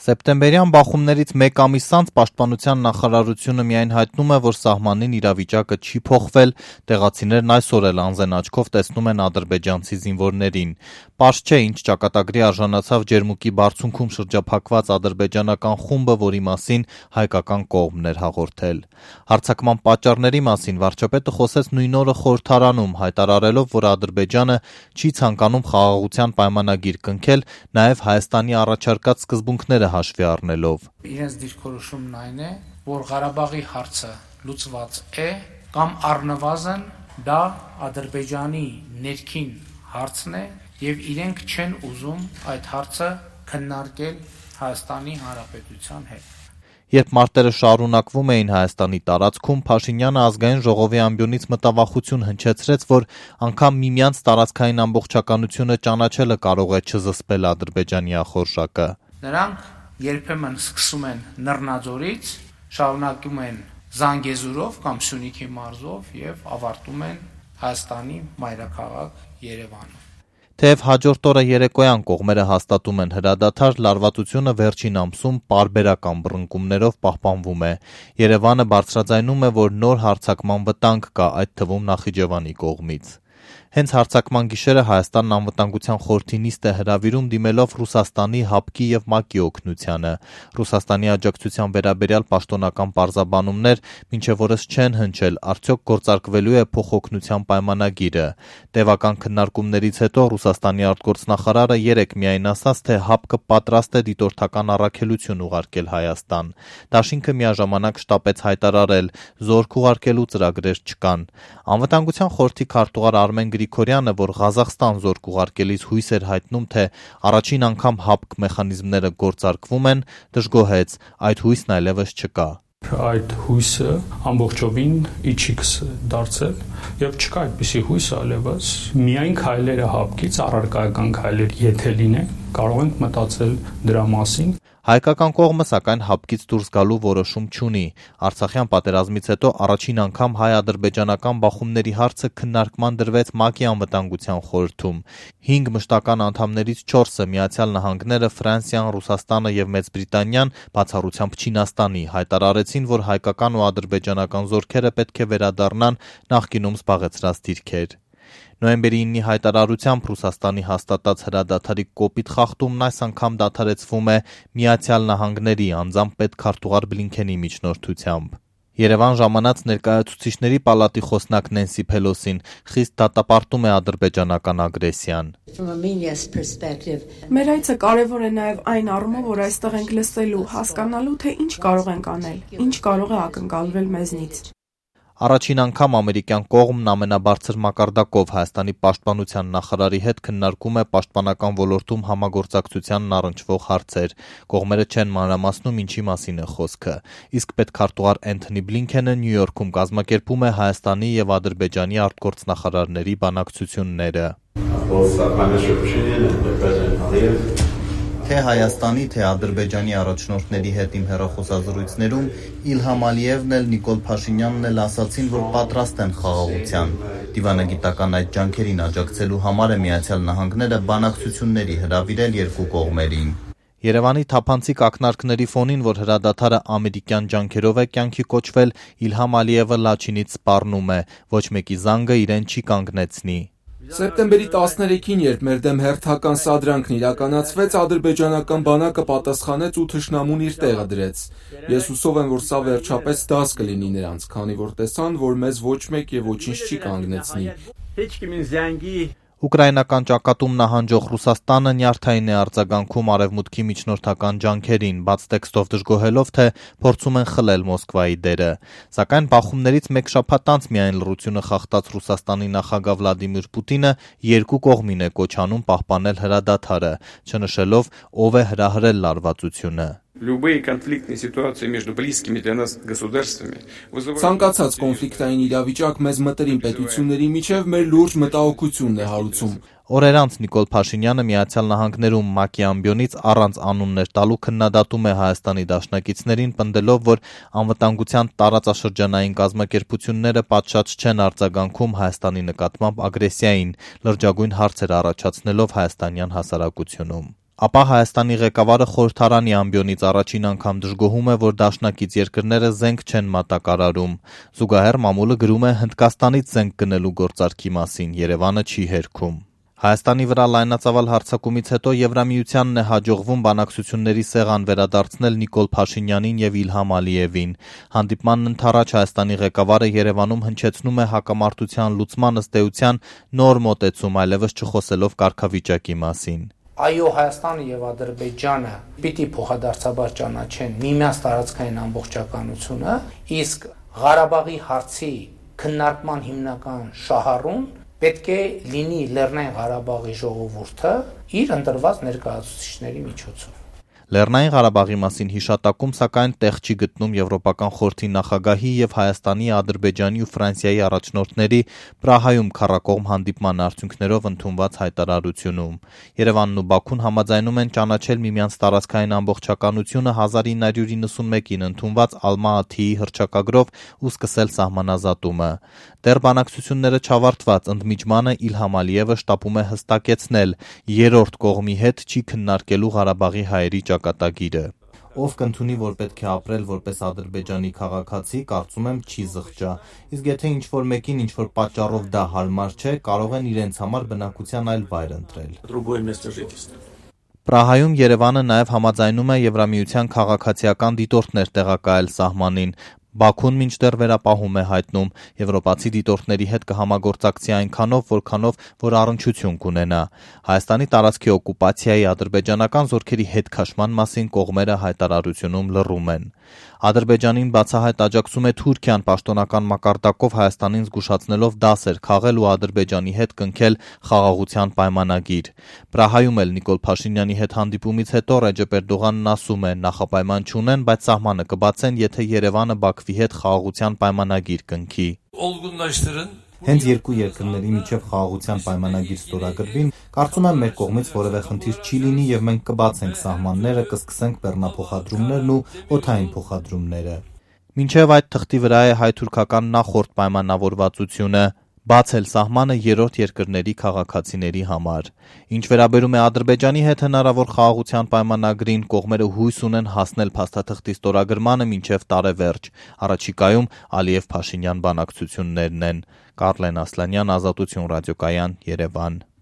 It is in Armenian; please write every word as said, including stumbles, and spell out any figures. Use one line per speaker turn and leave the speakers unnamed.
Սեպտեմբերյան բախումներից մեկ ամիս անց Պաշտպանության նախարարությունը միայն հայտնում է, որ սահմանին իրավիճակը չի փոխվել, տեղացիներն այսօր էլ անզեն աչքով տեսնում են ադրբեջանցի զինվորներին։ Պարզ չէ, ինչ ճակատագրի արժանացավ Ջերմուկի բարձունքում շրջափակված ադրբեջանական խումբը, որի մասին հայկական կողմն էր հաղորդել։ Հարձակման պատճառների մասին վարչապետը խոսեց նույն օրը խորհրդարանում, հայտարարելով, որ Ադրբեջանը չի ցանկանում խաղաղության պայմանագիր կնքել, նաև Հայաստանի առաջարկած սկզբունքները հաշվի առնելով։
Իրենց դիրքորոշումն այն է, որ Ղարաբաղի հարցը լուծված է կամ առնվազն դա Ադրբեջանի ներքին հարցն է եւ իրենք չեն ուզում այդ հարցը քննարկել Հայաստանի Հանրապետության հետ։
Երբ մարտերը շարունակվում էին Հայաստանի տարածքում, Փաշինյանը ազգային ժողովի ամբիոնից մտավախություն հնչեցրեց, որ անգամ միմյանց տարածքային ամբողջականությունը ճանաչելը կարող է չզսպել Ադրբեջանի ախորժակը։
Նրանք երբեմն սկսում են Նռնաձորից, շարունակում են Զանգեզուրով կամ Սյունիքի մարզով եւ ավարտում են Հայաստանի մայրաքաղաք Երևանում։
Թեև հաջորդ օրը երեկոյան կողմերը հաստատում են հրադադար, լարվածությունը վերջին ամսում պարբերական բռնկումներով պահպանվում է։ Երևանը բարձրաձայնում է, որ նոր հարձակման վտանգ կա, այդ թվում Նախիջևանի կողմից։ Հենց հարձակման գիշերը Հայաստանն անվտանգության խորհրդի նիստ է հրավիրում դիմելով Ռուսաստանի, ՀԱՊԿ-ի եւ ՄԱԿ-ի օգնությանը։ Ռուսաստանի աջակցության վերաբերյալ պաշտոնական պարզաբանումներ մինչև օրս չեն հնչել, արդյոք գործարկվելու է փոխօգնության պայմանագիրը։ Տևական քննարկումներից հետո Ռուսաստանի արտգործնախարարը երեկ միայն ասաց, թե ՀԱՊԿ-ը պատրաստ է դիտորդական առաքելություն ուղարկել Հայաստան։ Դաշինքը միաժամանակ շտապեց հայտարարել, զորք ուղարկելու ծրագրեր չկան։ Անվտանգության խորհրդի քարտուղար Արմեն Գրիգորյանը, որ Ղազախստան զորք ուղարկելիս հույս էր հայտնում, թե առաջին անգամ ՀԱՊԿ մեխանիզմները գործարկվում են, դժգոհեց, այդ հույսն այլևս չկա։
Այդ հույսը ամբողջովին իջիքս դարձել եւ չկա այդպիսի հույս այլևս միայն քայլերը ՀԱՊԿ-ից առարկայական քայլեր եթե լինեն կարող ենք մտածել դրա մասին։
Հայկական կողմը սակայն ՀԱՊԿ-ից դուրս գալու որոշում չունի։ Արցախյան պատերազմից հետո առաջին անգամ հայ-ադրբեջանական բախումների հարցը քննարկման դրվեց ՄԱԿ-ի անվտանգության խորհրդում։ Հինգ մշտական անդամներից չորսը՝ Միացյալ Նահանգները, Ֆրանսիան, Ռուսաստանը եւ Մեծ Բրիտանիան, բացառությամբ Չինաստանի, հայտարարեցին, որ հայկական ու ադրբեջանական զորքերը պետք է վերադառնան նախկինում զբաղեցրած դիրքեր։ Նոյեմբերի իննի հայտարարությամբ Ռուսաստանի հաստատած հրադադարի կոպիտ խախտումն այս անգամ դադարեցվում է Միացյալ Նահանգների անձամբ պետքարտուղար Բլինքենի միջնորդությամբ։ Երևան ժամանած ներկայացուցիչների պալատի խոսնակ Նենսի Փելոսին խիստ դատապարտում է ադրբեջանական ագրեսիան։
Մեր այցը կարևոր է նաև այն առումով, որ այստեղ ենք լսելու, հասկանալու, թե ինչ կարող ենք անել, ինչ կարող է ակնկալվել մեզնից։
Առաջին անգամ ամերիկյան կողմն ամենաբարձր մակարդակով Հայաստանի պաշտպանության նախարարի հետ քննարկում է պաշտպանական ոլորտում համագործակցությանն առնչվող հարցեր։ Կողմերը չեն մանրամասնում ինչի մասին է խոսքը։ Իսկ պետքարտուղար Էնթոնի Բլինքենը Նյու Յորքում կազմակերպում է Հայաստանի եւ Ադրբեջանի արտգործնախարարների բանակցությունները։ Թե Հայաստանի, թե Ադրբեջանի առաջնորդների հետ իմ հեռախոսազրույցներում Իլհամ Ալիևն էլ Նիկոլ Փաշինյանն էլ ասացին, որ պատրաստ են խաղաղության։ Դիվանագիտական այդ ջանքերին աջակցելու համար է Միացյալ Նահանգները բանակցությունների հրավիրել երկու կողմերին։ Երևանի թափանցիկ ակնարկների ֆոնին, որ հրադադարը ամերիկյան ջանքերով է կյանքի կոչվել, Իլհամ Ալիևը Լաչինից սպառնում է, ոչ մեկի զանգը իրեն չի կանգնեցնի։
Սեպտեմբերի տասներեքին, երբ մեր դեմ հերթական սադրանքն իրականացվեց, ադրբեջանական բանակը պատասխանեց ու թշնամուն իր տեղը դրեց։ Ես հուսով եմ, որ սա վերջապես դաս կլինի նրանց, քանի որ տեսան, որ մեզ ոչ մեկ եւ ոչինչ չի կանգնեցնի։
Ուկրաինական ճակատում նահանջող Ռուսաստանը նյարդային է արձագանքում արևմուտքի միջնորդական ջանքերին, բաց տեքստով դժգոհելով, թե փորձում են խլել Մոսկվայի դերը։ Սակայն բախումներից մեկ շաբաթ անց միայն լռությունը խախտած Ռուսաստանի նախագահ Վլադիմիր Պուտինը երկու կողմին է կոչ անում պահպանել հրադադարը, չնշելով ով է հրահրել լարվածությունը։
Ցանկացած կոնֆլիկտային իրավիճակ մեզ մտերիմ պետությունների միջև մեր լուրջ մտահոգությունն է հարուցում։
Օրեր անց Նիկոլ Փաշինյանը Միացյալ Նահանգներում ՄԱԿ-ի ամբիոնից առանց անուններ տալու քննադատում է Հայաստանի դաշնակիցներին, պնդելով, որ անվտանգության տարածաշրջանային կազմակերպությունները պատշաճ չեն արձագանքում Հայաստանի նկատմամբ ագրեսիային, լրջագույն հարցեր առաջացնելով հայաստանյան հասարակությունում։ Ապա Հայաստանի ղեկավարը խորհրդարանի ամբիոնից առաջին անգամ դժգոհում է, որ դաշնակից երկրները զենք չեն մատակարարում։ Զուգահեռ մամուլը գրում է Հնդկաստանից զենք գնելու գործարքի մասին, Երևանը չի հերքում։ Հայաստանի վրա լայնածավալ հարձակումից հետո Եվրամիությանն է հաջողվում բանակցությունների սեղան վերադարձնել Նիկոլ Փաշինյանին եւ Իլհամ Ալիևին։ Հանդիպմանն ընդառաջ Հայաստանի ղեկավարը Երևանում հնչեցնում է հակամարտության լուծման ըստ էության նոր մոտեցում, այլևս չխոսելով կարգավիճակի մասին։
Այո, Հայաստանը եւ Ադրբեջանը պիտի փոխադարձաբար ճանաչեն միմյանց տարածքային ամբողջականությունը, իսկ Ղարաբաղի հարցի քննարկման հիմնական շահառուն պետք է լինի Լեռնային Ղարաբաղի ժողովուրդը իր ընտրված ներկայացուցիչների միջոցով։
Լեռնային Ղարաբաղի մասին հիշատակում, սակայն, տեղ չի գտնում Եվրոպական խորհրդի նախագահի եւ Հայաստանի, Ադրբեջանի ու Ֆրանսիայի առաջնորդների Պրահայում քառակողմ հանդիպման արդյունքներով ընդունված հայտարարությունում։ Երևանն ու Բաքուն համաձայնում են ճանաչել միմյանց տարածքային ամբողջականությունը հազար ինը հարյուր իննսունմեկին ընդունված Ալմա-Աթիի հռչակագրով ու սկսել սահմանազատումը։ Դեռ բանակցությունները չավարտված ընդմիջմանը Իլհամ Ալիևը շտապում է հստակեցնել՝ երրորդ կողմի հետ չի քննարկելու Ղարաբաղի հայերի ճակատագիրը։ Ով կընդունի, որ պետք է ապրել որպես Ադրբեջանի քաղաքացի, կարծում եմ չի զղջա, իսկ եթե ինչ-որ մեկին ինչ-որ պատճառով դա հարմար չէ, կարող են իրենց համար բնակության այլ վայր ընտրել։ Պրահայում Երևանը նաև համաձայնում է Եվրամիության քաղաքացիական դիտորդներ տեղակայել սահմանին։ Բաքուն մինչդեռ վերապահում է հայտնում, եվրոպացի դիտորդների հետ կհամագործակցի այնքանով, որքանով որ առնչություն կունենա։ Հայաստանի տարածքի օկուպացիայի ադրբեջանական զորքերի հետ քաշման մասին կողմերը հայտարարությունում լռում են։ Ադրբեջանին բացահայտ աջակցում է Թուրքիան պաշտոնական մակարդակով Հայաստանին զգուշացնելով դասեր քաղել ու Ադրբեջանի հետ կնքել խաղաղության պայմանագիր։ Պրահայում էլ Նիկոլ Փաշինյանի հետ հանդիպումից հետո Ռեջեփ Էրդողանն ասում է՝ նախապայման չունեն, բայց սահմանը կբացեն, եթե Երևանը Բաքվի հետ խաղաղության պայմանագիր կնքի։ Հենց երկու երկրների միջև խաղաղության պայմանագիր ստորագրվի, կարծում եմ մեր կողմից որևէ խնդիր չի լինի եւ մենք կբացենք սահմանները, կսկսենք բեռնափոխադրումներն ու օդային փոխադրումները։ Մինչև այդ թղթի վրա է հայ-թուրքական նախորդ պայմանավորվածությունը բացել սահմանը երրորդ երկրների քաղաքացիների համար։ Ինչ վերաբերում է Ադրբեջանի հետ հնարավոր խաղաղության պայմանագրին, կողմերը հույս ունեն հասնել փաստաթղթի ստորագրմանը մինչև տարեվերջ։ Առաջիկայում Ալիև-Փաշինյան բանակցություններն են։ Կարլեն Ասլանյան, Ազատություն ռադիոկայան, Երևան։